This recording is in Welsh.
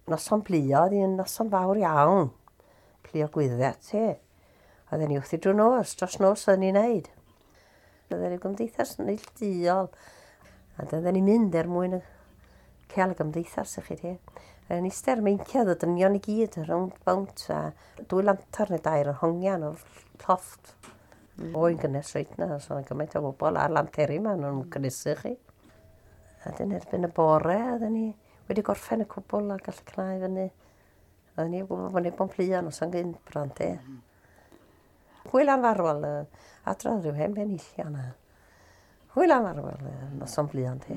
Noson plio, oedd hi'n noson fawr iawn. Plio gwyddiau, ti. Oedden ni wrthi drwy nos, dros nos oedden ni'n neud. Oedden ni'n gymdeithas neilltuol. A oedden ni'n mynd er mwyn cael y gymdeithas i chi ti. Oedden ni eistedd ar meinciau, oedd y dynion i gyd rownd bownt a dwy lantar neu dair yn hongian o'r llofft. Oen gynnes reit na, so oedd gymaint o bobl a'r lanteri yma, nhw'n gynnesu chi. A dyn erbyn y bore, oedden ni wedi gorffen y cwbl a gallu cnau fyny. Oedden ni'n gwybod bod ni'n plio noson gynt bron te. Hwyl anfarwol, adrodd rhyw hen benillion a hwyl anfarwol, noson blion te.